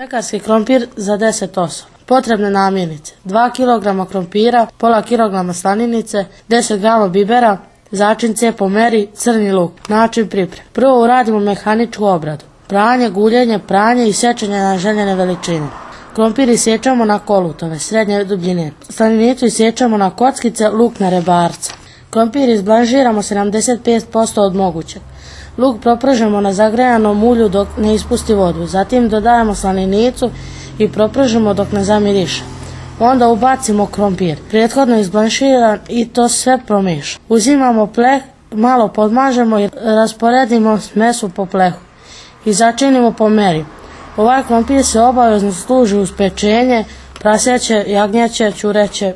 Pekarski krompir za 10 osoba. Potrebne namirnice: 2 kg krompira, pola kilograma slaninice, 10 g bibera, začince po meri, crni luk. Način pripreme: prvo uradimo mehaničku obradu: pranje, guljenje, pranje i sečenje na željene veličine. Krompir isječamo na kolutove srednje dubine. Slaninicu isječamo na kockice, luk na rebarca. Krompir izblanžiramo 75% od mogućeg. Luk propržemo na zagrejanom ulju dok ne ispusti vodu. Zatim dodajemo slaninicu i propržemo dok ne zamiriše. Onda ubacimo krompir, prethodno izblanširan, i to sve promiješamo. Uzimamo pleh, malo podmažemo i rasporedimo smesu po plehu i začinimo po meri. Ovaj krompir se obavezno služi uz pečenje, praseće, jagnjeće, ćureće